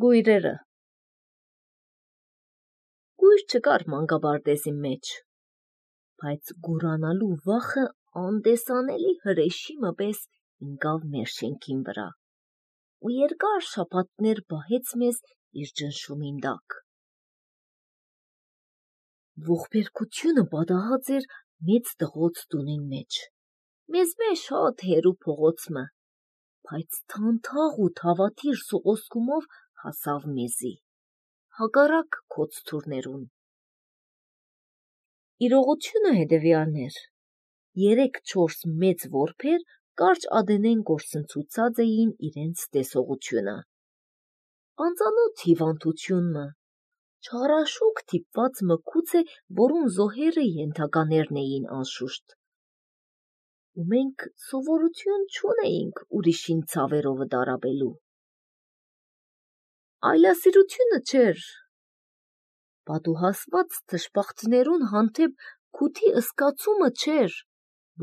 Գույրերը։ Գույր չկար մանկաբարտեզի մեջ, բայց գուրանալու վախը անդեսանելի հրեշիմը պես ընկավ մեր շենքին վրա ու երկար շաբաթներ բահեց մեզ իր ճնշումին տակ։ Ողբերգությունը պատահած էր մեծ տղոց տունին մեջ, մեզ շատ հեռու փողոցը, բայց թանթաղ ու թավաթիր սողոսկումով հասավ մեզի, հակառակ քոց-թուրներուն։ Իրողությունը հետևյալն էր. 3-4 մեծ որբեր կարճ ադենեն գործընծուցած էին իրենց տեսողությունը։ Անծանոթ հիվանդությունը, չարաշուկ թիպված մկուց է, որուն զոհերը ենթականերն էին անշուշտ։ Ու մենք սովորություն չունեինք ուրիշին ցավերովը տարապելու։ Այլասիրությունը չէր, պատուհասված թշպախտներուն հանդեպ քութի ըսկացումը չէր,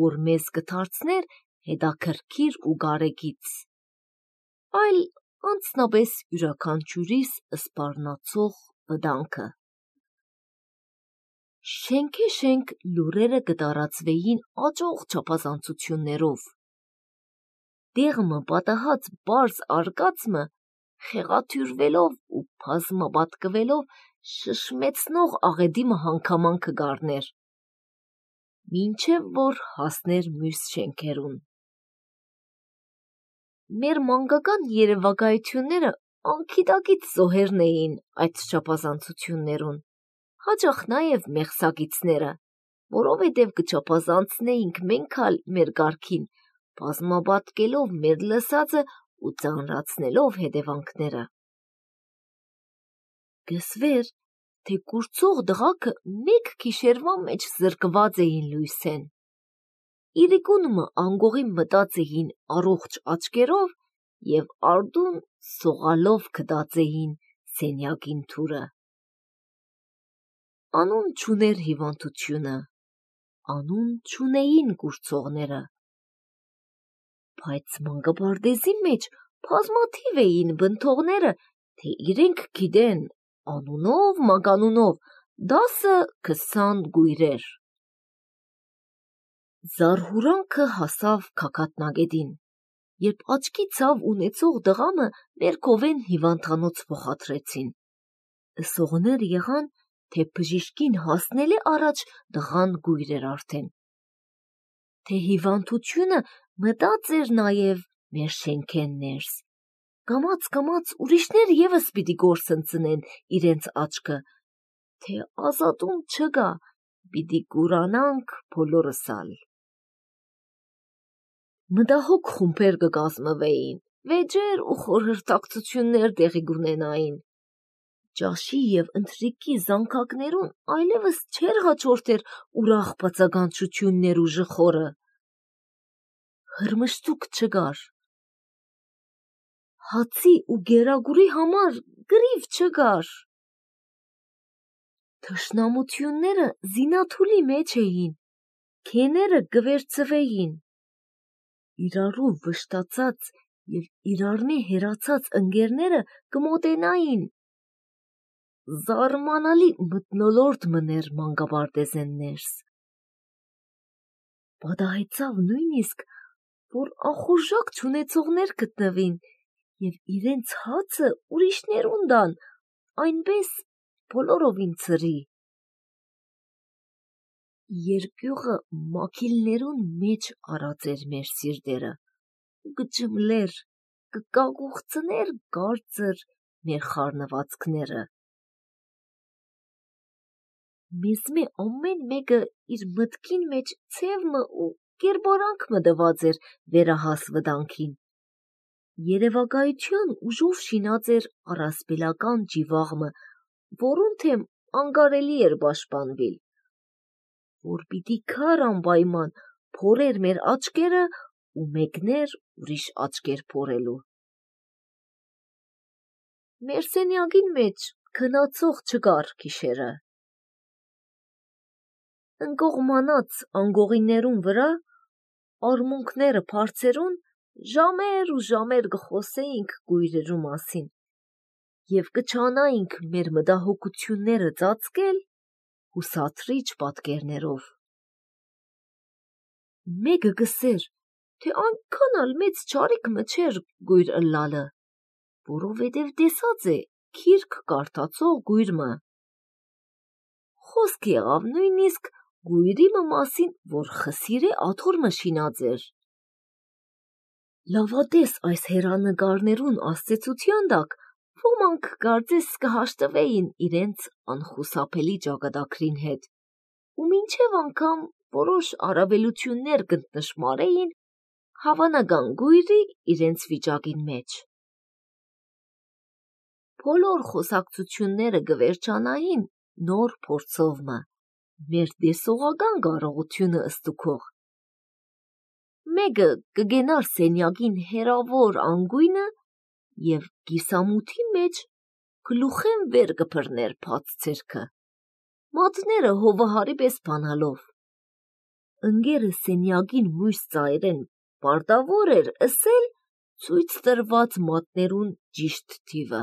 որ մեզ կդարձներ հետաքրքիր ու գարեգից, այլ անցնապես յուրաքանչյուրիս սպառնացող վտանգը։ Շենքե-շենք լուրերը կտարածվեին աճող չափազանցություններով։ Դեղմը պատահած բարձ արկածը խեղաթյուրվելով ու բազմապատկվելով շշմեցնող աղետիմը հանգաման կգառներ, մինչև որ հասներ մյուս շենքերուն։ Մեր մանկական երևակայությունները անքիդակից զոհերն էին այդ չափազանցություններուն, հաճախ նաև մեղսակիցները, որովհետև կչափազանցնեինք մենք ալ մեր կարգին, բազմապատկելով մեր լսածը ու ծանրացնելով հետևանքները։ Գսվեր, թե կուրծող դղաքը մեկ գիշերվա մեջ զրկված էին լույսեն։ Իրիկունը անգողի մտած էին առողջ աչկերով և արդուն սողալով կդած էին սենյակին թուրը։ Անուն չուներ հիվանդությունը, անուն չունեին կուրծողները, բայց մանկաբարտեզի մեջ բազմաթիվ էին բնթողները, թե իրենք գիտեն անունով, մականունով 10-20 գույրեր։ Զարհուրանքը հասավ գագաթնագետին, երբ աչքի ցավ ունեցող դղամը մեր կովեն հիվանդանոց փոխադրեցին։ Լսողներ եղան, թե բժիշկին հասնելի առաջ դղան գույր էր արդեն, թե հիվանդությունը մտած էր նաև մեր շենքեն ներս, կամաց ուրիշներ ևս պիտի գործընծնեն իրենց աչքը, թե ազատում չկա, պիտի կուրանանք բոլորս ալ։ Մտահոգ խումբեր կկազմվեին, վեճեր ու խորհրդակցություններ տեղի կունենային։ Ճաշի և ընթրիքի զանգակներուն այլևս չէր հաջորդեր ուրախ բացականչություններ ու ժխորը։ Հրմշտուք չկար։ Հացի ու գերագուրի համար գրիվ չկար։ Թշնամությունները զինաթուլի մեջ էին, քեները կվերցվեին։ Իրարու վշտացած և իրարնե հեռացած ընկերները կմոտենային։ Զարմանալի մթնոլորտ մներ մանկաբարտեզեն ներս։ Պատահեցավ նույնիսկ, որ անխուժակ չունեցողներ գտնվին և իրենց հացը ուրիշներուն տան, այնպես բոլորովին ծրի։ Երկյուղը մաքիլներուն մեջ արած էր մեր սիրտերը ու կջմլեր, կկագուղցներ կարծր մեր խառնվածքները։ Մեզմե ամեն մեկը իր մտքին մեջ ցևմը ու կերպարանքմը տված էր վերահաս վտանգին։ Երևակայության ուժով շինած էր առասպելական ջիվաղմը, որուն թեմ անկարելի էր պաշտպանվել, որ պիտի քար անպայման փորեր մեր աչքերը ու մեկներ ուրիշ աչքեր փորելու։ Մեր սենյակին մեջ քնացող չկար գիշերը։ Ընկողմանած անգողիներուն վրա, արմունկները բարձերուն, ժամեր ու ժամեր կխոսեինք գույրերու մասին, և կչանայինք մեր մտահոգությունները ծածկել հուսացրիչ պատկերներով։ Մեկը գսեր, թե այնքան ալ մեծ չարիք մը չէր գույր ըլլալը, որովհետև տեսած է քիրք կարդացող գույրմը։ Խոսք եղավ նույնիսկ գույրի մը մասին, որ խսիրե աթոր մը շինած էր։ Լավատես այս հերանեկարներուն աստեցության տակ ոմանք կարծես կհաշտվեին իրենց անխուսափելի ճակատագրին հետ, ու մինչև անգամ որոշ առավելություններ կնշմարեին հավանական գույրի իրենց վիճակին մեջ։ Բոլոր խոսակցությունները կվերջանային նոր փորձով մը, մեր տեսողական կարողությունը ստուգող։ Մեկը կգենար սենյակին հերավոր անգույնը և կիսամութի մեջ գլուխեն վեր կբռներ բաց ձեռքը, մատները հովահարի պես բանալով։ Ընկերը սենյակին մույս ծայրեն պարտավոր էր ըսել ցույց տրված մատներուն ճիշտ թիվը։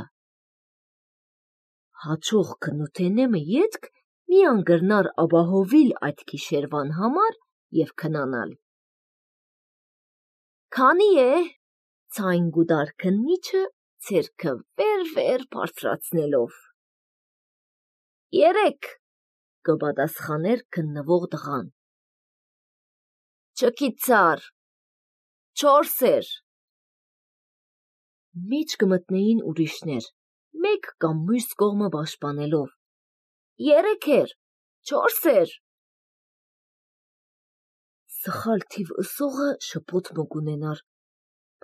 Հաջող քնութենեմը ետք միան կրնար ապահովիլ այդ գիշերվան համար և քնանալ։ Քանի է, ցայն գուտար քննիչը ձեռքը վեր բարձրացնելով։ 3 կպատասխաներ քննվող տղան։ Չգիտար 4 Մեջ կմտնեին ուրիշներ, մեկ կամ մյուս կողմը պաշտպանելով։ 3 4 Սխալ թիվ ըսողը շփոթ մը կունենար,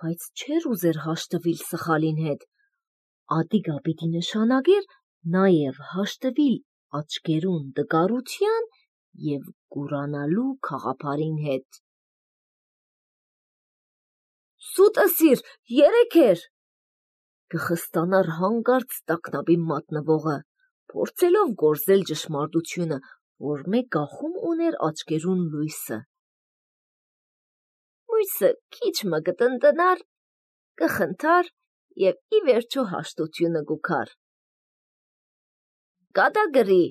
բայց չէր ուզեր հաշտվիլ սխալին հետ, ատիկա պիտի նշանակեր նաև հաշտվիլ աչկերուն տկարության և կուրանալու քաղաքարին հետ։ Սուտ ըսիր 3 կխստանար հանկարծ տագնապի մատնվողը, փորձելով գործել ճշմարտությունը, որ մեկ գախում ուներ աչկերուն լույսը։ Մույսը քիչ մը կտնտնար, կխնդար և ի վերջո հաշտությունը կուքար։ Կատակրի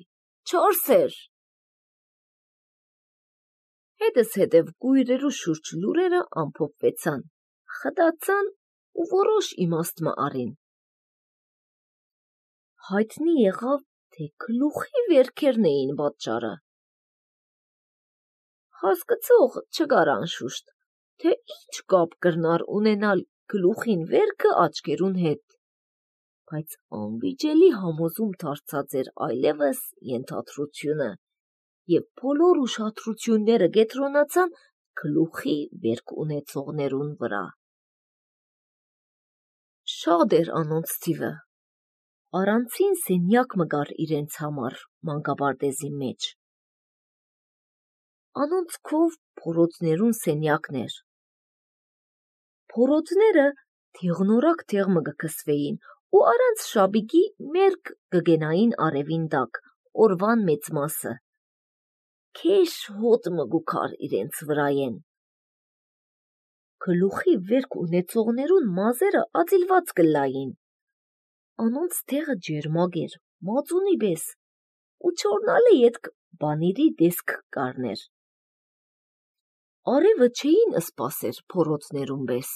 4 Հետս հետև կույրերու շուրջ լուրերը ամփոփվեցան, խտացան ու որոշ իմաստ մը առին։ Հայտնի եղավ, թե գլուխի վերքերն էին պատճառը։ Հասկացող չկար անշուշտ, թե ինչ կապ կրնար ունենալ գլուխին վերքը աչկերուն հետ, բայց անվիճելի համոզում դարձած էր այլևս ենթադրությունը, և բոլոր ուշադրությունները կենտրոնացան գլուխի վերք ունեցողներուն վրա։ Շատ էր անոնց թիվը, առանցին սենյակ մը կար իրենց համար մանկապարտեզի մեջ։ Անոնց քով փորոտներուն սենյակներ։ Փորոտները թիղնորակ թեղ մը կքսվեին ու առանց շապիկի մերկ կգենային արևին տակ, օրվան մեծ մասը։ Քեշ հոտ մը գուքար իրենց վրայեն։ Գլուխի վերք ունեցողներուն մազերը ածիլված կլային։ Անոնց տեղը ջերմակ էր, մածունի պես, ու չորնալի ետք բանիրի տեսք կարներ։ Արևը չէին սպասեր փորոտներուն պես։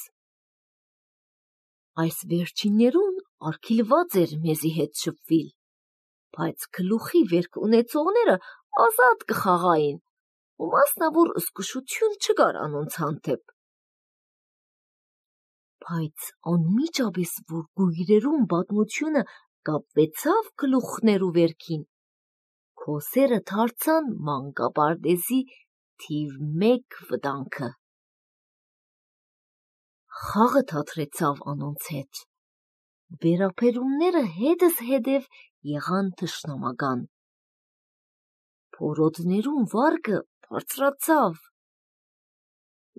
Այս վերջիններուն արգիլված էր մեզի հետ շփվիլ, բայց գլուխի վերք ունեցողները ազատ կխաղային ու մասնավոր զգուշություն չկար անոնց հանդեպ։ Բայց անմիջապես, որ գույրերուն պատմությունը կապվեցավ գլուխներու վերքին, քոսերը դարձան մանկապարտեզի թիվ 1 վտանգը։ Խաղը թատրեցավ անոնց հետ։ Վերապերումները հետս հետև եղան թշնամական։ Փորոտներուն վարկը բարձրացավ։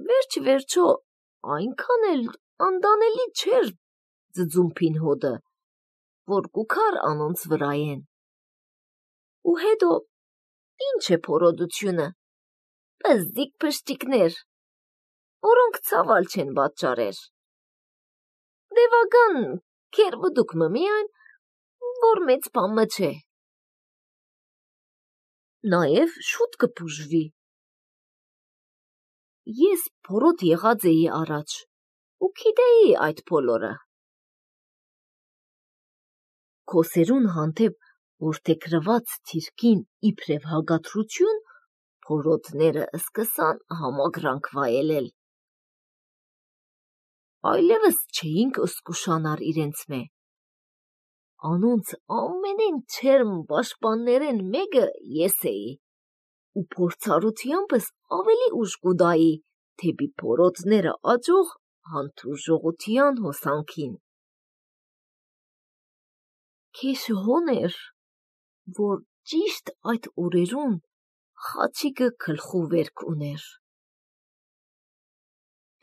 Վերջ-վերջո այնքան էլ անտանելի չէր ձձումփին հոտը, որ կուքար անոնց վրայեն։ Ու հետո ինչ է փորոտությունը, պզդիկ փշտիկներ, որոնք ցավալ չեն պատճառեր։ Դևական քերբուդուկ մը միայն որ մեծ բան չէ։ Նաև շուտ կփուժվի։ Ես փորոտ եղած էի առաջ ու գիտեի այդ բոլորը։ Քոսերուն հանդեպ որդեգրված թիրքին իբրև հագադրություն փորոտները սկսան համակրանք վայելել։ Այլևս չէինք զգուշանար իրենցմե։ Անոնց ամենեն չերմ պաշտպաններեն մեկը ես էի, ու փորձառությանս ավելի ուժ կուդայի թեպի փորոտները աճող հանդուրժողության հոսանքին։ Քեշը հոն էր, որ ճիշտ այդ օրերուն խաչիկը գլխու վերք ուներ։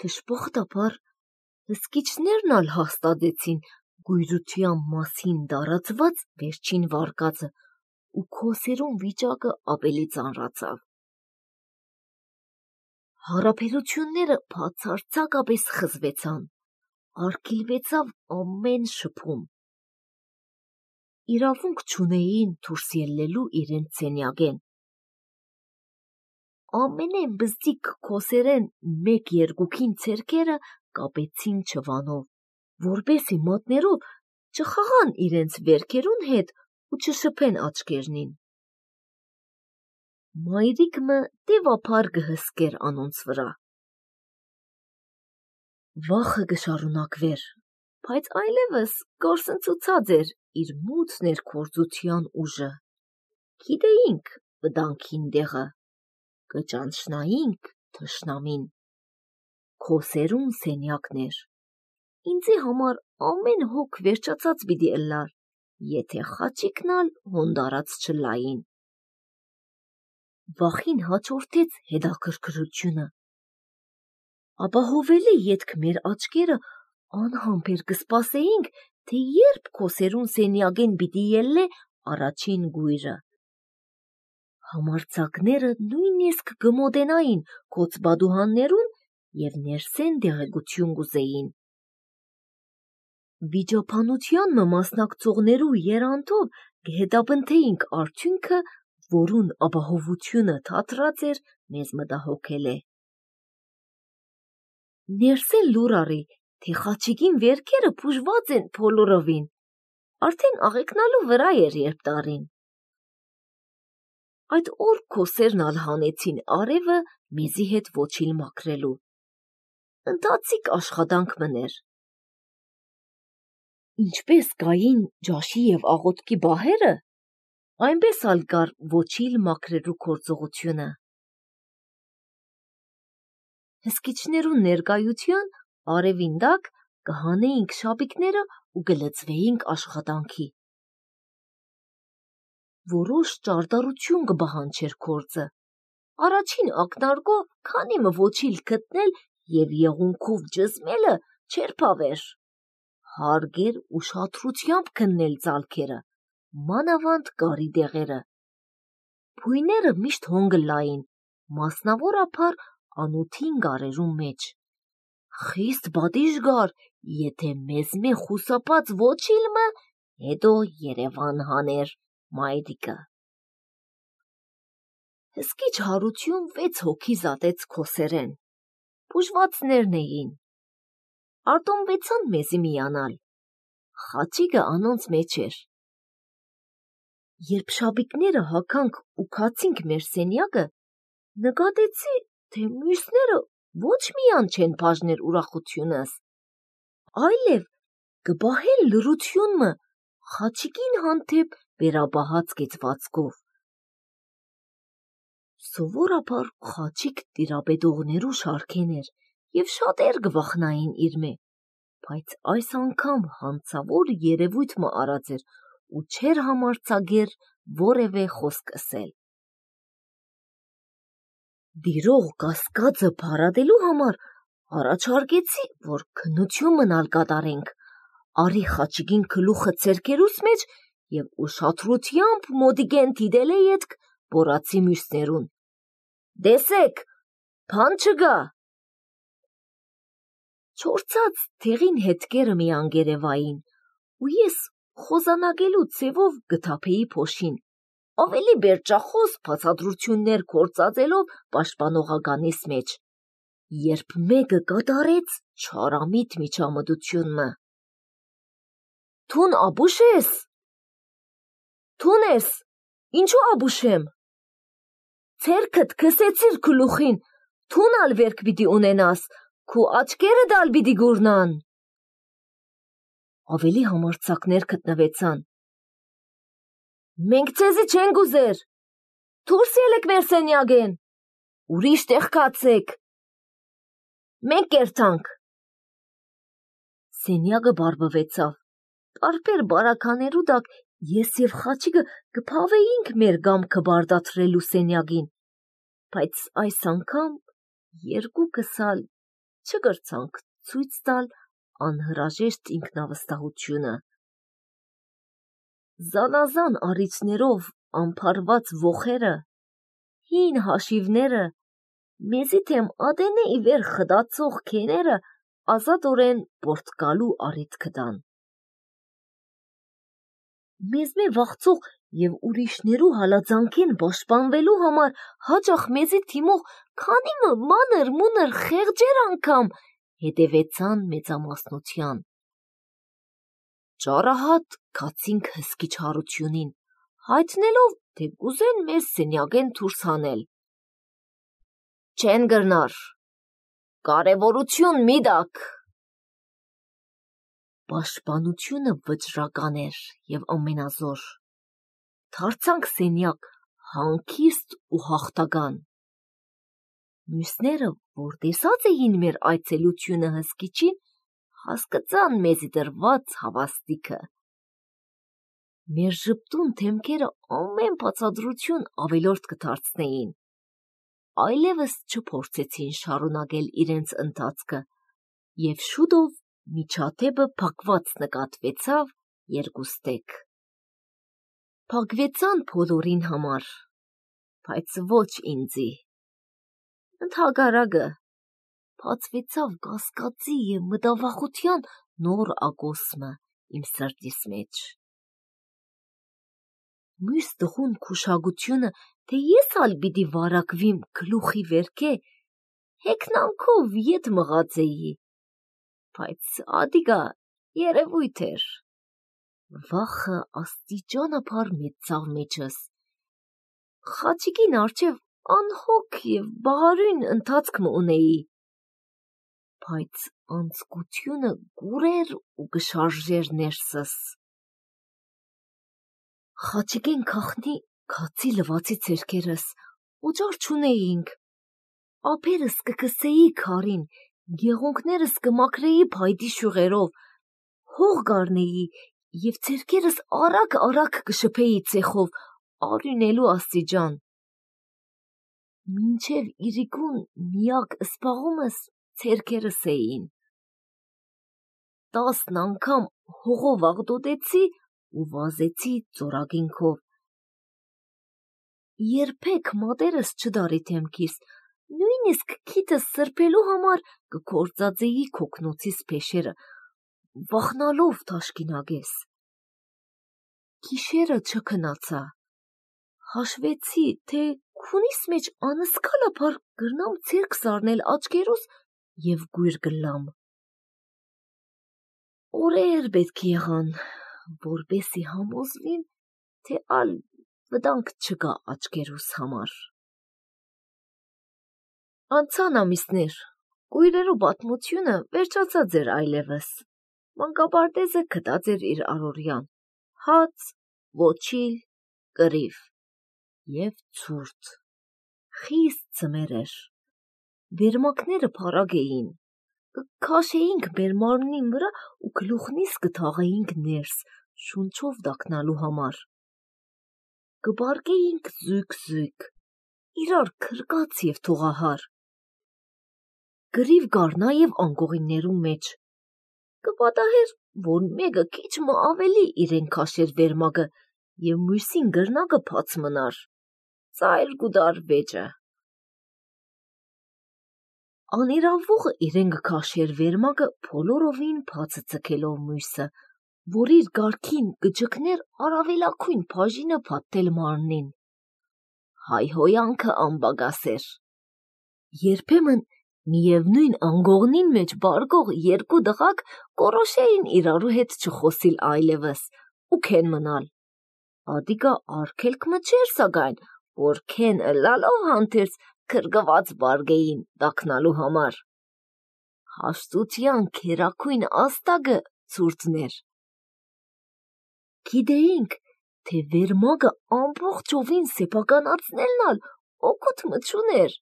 Դժբախտաբար հսկիչներն ալ հաստատեցին գույրության մասին տարածված վերջին վարկածը ու քոսերուն վիճակը ավելի ծանրացավ։ Հարաբերությունները բացարձակապես խզվեցան, արգելվեցավ ամեն շփում։ Իրավունք չունեին դուրս ելնելու իրենց սենյակեն։ Ամենեն բզդիկ քոսերեն մեկ-երկուքին ցերկերը կապեցին չվանով, որպեսի մատներով չխաղան իրենց վերքերուն հետ ու չշփեն աչքերնին։ Մայրիկը տևափար կհսկեր անոնց վրա։ Վախը կշարունակվեր, բայց այլևս գործընծուցած էր իր մութ ներգործության ուժը։ Գիտեինք վտանգին տեղը, կճանչնայինք թշնամին։ Քոսերուն սենյակներ։ Ինձի համար ամեն հոգ վերջացած պիտի ըլլար, եթե խաչիկն ալ հոնդարած չլային։ Վախին հաջորդեց հետաքրքրությունը։ Ապահովելի ետք մեր աչքերը անհամբեր կսպասեինք, թե երբ քոսերուն սենյակեն պիտի ելնե առաջին գույրը։ Համարձակները նույնիսկ կմոտենային կոծբադուհաններուն և ներսեն դեղեցություն կուզեին։ Վիճաբանության մասնակցողներու երանտով կհետապնդեինք արդյունքը, որուն ապահովությունը թատրած էր մեզ մտահոգել է։ Ներսեն լուր առի, թե խաչիկին վերքերը բուժված են բոլորովին, արդեն աղեքնալու վրա էր երբ տարին։ Այդ օր քոսերն ալ հանեցին արևը մեզի հետ ոչիլ մաքրելու։ Ընթացիկ աշխատանք մներ։ Ինչպես կային ջաշի և աղոտքի բահերը, այնպես ալ կար ոչիլ մաքրելու գործողությունը։ Հսկիչներուն ներկայության արևին տակ կհանեինք շապիկները ու կլծվեինք աշխատանքի։ Որոշ ճարտարություն կպահանջեր գործը։ Առաջին ակնարկով քանի մը ոչիլ գտնել և եղունգով ճզմելը չէր բավեր։ Հարգեր ուշադրությամբ քննել ծալքերը, մանավանդ կարի դեղերը։ Բույները միշտ հոն կլային, մասնավորապես անոթին գարերուն մեջ։ Խիստ պատիժ կար, եթե մեզմե խուսափած ոչիլը հետո Երևան հաներ մայրիկը։ Հսկիչ հարություն 6 հոգի զատեց քոսերեն։ Բուժվածներն էին։ Արտոնվեցան մեզի միանալ։ Խաչիկը անոնց մեջ էր։ Երբ շապիկները հագանք ու քացինք մեր սենյակը, նկատեցի, թե մյուսները ոչ միայն չեն բաժներ ուրախությունս, այլև կպահեն լրությունը խաչիկին հանդեպ վերապահած կեցվածքով։ Սովորաբար խաչիկ տիրապետողներու շարքեն էր և շատեր կվախնային իրմե, բայց այս անգամ հանցավոր երևույթ մը արած էր ու չէր համարձակեր որևէ խոսք ըսել։ Դիրող կասկածը փարատելու համար առաջարկեցի, որ քննություն մնալ կատարենք, արի խաչիկին գլուխը ցերկերուս մեջ և ուշադրությամբ մոտիկեն դիտել է ետք բորացի մյուսներուն։ Դեսեք, բան չկա։ Չորցած դեղին հետքերը մի անգերևային ու ես խոզանագելու ձևով գթափեի փոշին, ավելի բերճախոս բացատրություններ կործածելով պաշտպանողականիս մեջ, երբ մեկը կատարեց չարամիտ միջամտությունը։ Թուն աբուշ ես։ Թուն ես, ինչու աբուշեմ։ Ցերքդ քսեցիր գլուխին, թուն ալ վերք պիտի ունենաս, քու աչքերը դալ պիտի գուրնան։ Ավելի համարձակներ գտնվեցան։ Մենք ցեզի չենք ուզեր։ Դուրս ելեք մեր սենյակեն։ Ուրիշ տեղ կացեք։ Մենք կերտանք։ Սենյակը բարբվեցավ։ Տարբեր բարականերու դակ ես եւ Խաչիկը կփավեինք մեր գամքը բարդացրելու սենյակին, բայց այս անգամ երկուքս ալ չկրցանք ցույց տալ անհրաժեշտ ինքնավստահությունը։ Զանազան առիթներով ամփարված ոխերը, հին հաշիվները, մեզի թեմ ադենե ի վեր խտացող քեները ազատորեն պորտկալու առիթ կտան։ Մեզ մե վախցող եւ ուրիշներու հալածանքեն պաշտպանվելու համար հաճախ մեզի թիմող քանիմը մանր մունր խեղճեր անգամ հետևեցան մեծամասնության։ Ճարահատ կացինք հսկի չարությունին, հայտնելով, թե կուզեն մեզ սենյակեն դուրս հանել։ Չեն գրնար, կարևորություն մի դակ։ Պաշտպանությունը վճռական էր եւ ամենազոր։ Դարձանք սենյակ հանգիստ ու հաղթական։ Մյուսները, որ տեսած էին մեր այցելությունը հսկիչին, հասկացան մեզի դրված հավաստիքը։ Մեր ժպտուն թեմքերը ամեն բացատրություն ավելորդ կդարձնեին։ Այլևս չփորձեցին շարունակել իրենց ընթացքը, եւ շուտով միջադեպը փակված նկատվեցավ երկուստեք։ Փակվեցան բոլորին համար, բայց ոչ ինձի։ Ընդհակառակը, բացվեցավ կասկածի եւ մտավախության նոր ակոսմը իմ սրտիս մեջ։ Մյուս տղուն քուշագությունը, թե ես ալ պիտի վարակվիմ գլուխի վերքե, հեքնանքով ետ մղածեի, բայց ադիգա երևույթ էր։ Վախը աստիճանաբար մեծավ մեջս։ Խաչիկին արջև անհոգ եւ բաղարույն ընթացք մը ունեի, բայց անձկությունը գուրեր ու գշարժեր ներսս։ Խաչիկեն քախնի քացի լվացի ցերքերս, օճար չունեինք։ Ափերս կկսեի քարին, գեղունքներս կմաքրեի փայտի շյուղերով, հող գարնեի եւ ցերքերս արագ կշփեի ցեխով, արյունելու աստիճան։ Մինչև իրիկուն միակ սպաղումս ցերքերս էին։ 10 անգամ հողով աղտոտեցի ու վազեցի ծորագինքով։ Երբեք մատերս չդարի թեմքիս, նույնիսկ քիթս սրբելու համար կկործածեի քոքնոցիս փեշերը, վախնալով թաշկինագես։ Գիշերը չքնացա։ Հաշվեցի, թե քունիս մեջ անսկալաբար գրնամ ցերք սառնել աչքերուս եւ գույր գլամ։ Օրեր պետք եղան, որպեսի համոզվիմ, թե ալ վտանգ չկա աչքերուս համար։ Անցան ամիսներ, գույրերու պատմությունը վերջացած էր այլևս։ Մանկապարտեզը գտած էր իր առօրյան, հաց, ոչիլ, կռիվ եւ ցուրտ։ Խիստ ձմեր էր։ Վերմակները փառագ էին։ Կքաշեինք մեր մարմնին վրա ու գլուխնիս կթաղեինք ներս, շունչով դակնալու համար։ Կբարկեինք զույգ, իրար քրկած եւ թողահար։ Գրիվ գար նաեւ անկողիններու մեջ։ Կպատահեր, որ մեկը քիչ մը ավելի իրեն քաշեր վերմակը եւ մյուսին գրնակը փած մնար։ Ծայր գուդար վեճը։ Անիրավողը իրեն կքաշեր վերմակը բոլորովին բացը ցկելով մյուսը, որ իր գարքին կջկներ առավելակույն բաժինը փաթթել մարմնին։ Հայհոյանքը անբագասեր։ Երբեմն միևնույն անգողնին մեջ բարգող երկու դղակ կորոշեին իրարու հետ չխոսիլ այլևս ու քեն մնալ։ Ադիգա արգելք մը չէր սակայն, որ քեն ըլլալով հանդերձ քրգված բարգեին տակնալու համար։ Հաշտության քերակույն աստագը ցուրտներ։ Գիտեինք, թե վերմագը ամբողջովին սեփականացնելն ալ օգուտ մը չուներ,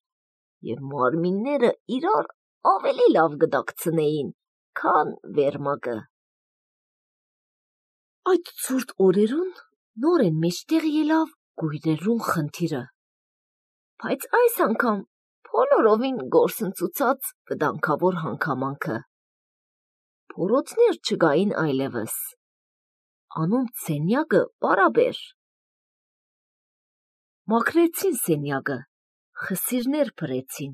եւ մարմինները իրար ավելի լավ գդակցնեին, քան վերմագը։ Այդ ցուրտ օրերուն նորեն մեջտեղ ելավ գույրերուն խնդիրը, բայց այս անգամ բոլորովին գործընծուցած վտանգավոր հանգամանքը։ Փորոտներ չգային այլևս։ Անոնց սենյակը պարաբեր։ Մաքրեցին սենյակը, խսիրներ փրեցին,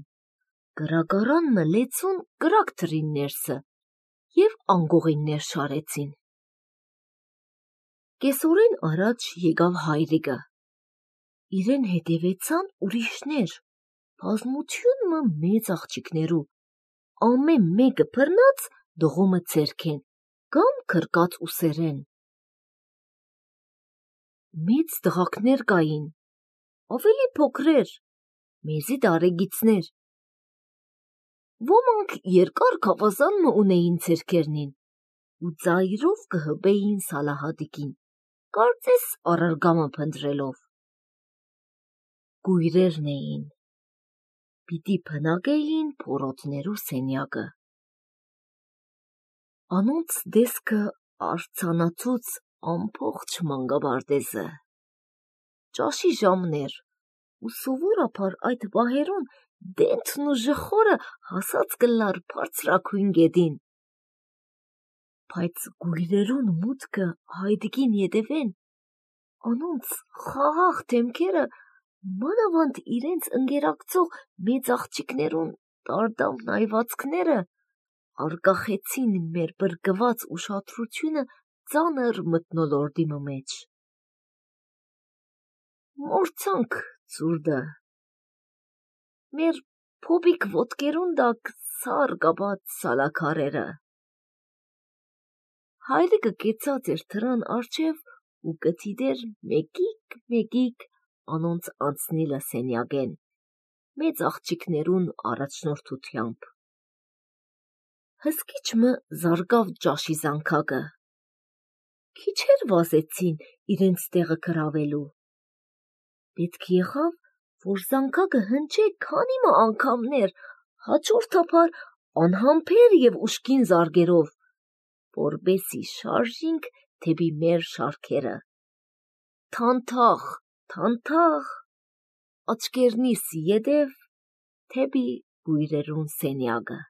գրագարան մը լեցուն գրակ թրին ներսը եւ անգողիններ շարեցին։ Կեսօրեն առաջ եկավ հայրիկը։ Իրեն հետևեցան ուրիշներ, բազմություն մը մեծ աղջիկներու, ամեն մեկը բռնած դողոմը ձերքեն, կամ քրկած ուսերեն։ Մեծ տղակներ կային, ավելի փոքրեր, մեզի տարեգիցներ։ Ոմանք երկար քավազան մը ունեին ձերքերնին ու ծայրով կհբեին Սալահադիկին, կարծես առարգամը փնտրելով։ Գույրերն էին, պիտի փնագեին փորոտներու սենյակը։ Անոնց դեսքը արցանացուց ամբողջ մանգաբարտեզը։ Ճաշի ժամներ ու սովորաբար այդ վահերուն դենթն ու ժխորը հասած կլար բարձրակույն գետին։ Բայց գույրերուն մուտքը հայդիկին ետևեն, անոնց խաղաղ դեմքերը մանավանդ իրենց ընկերակցող մեծ աղջիկներուն տարդավ նայվածքները արգախեցին մեր բրկված ուշադրությունը ծանր մթնոլորտի մեջ։ Մորցանք ցուրտը։ Մեր փոբիկ ոտքերուն տակ սար կապած սալաքարերը։ Հայրիկը կեցած էր դրան առջև ու կթիդեր մեկիկ անոնց անցնիլը սենյակեն, մեծ աղջիկներուն առաջնորդությամբ։ Հսկիչ մը զարգավ ճաշի զանգակը։ Քիչեր վազեցին իրենց տեղը գրավելու։ Պետք եղավ, որ զանգակը հնչե քանի մը անգամներ, հաջորդաբար անհամբեր եւ ուժգին զարկերով, որպեսզի շարժինք դեպի մեր շարքերը։ Թանթաղ, թանթաղ, աչքերնիս ետև դեպի գույրերուն սենյակը։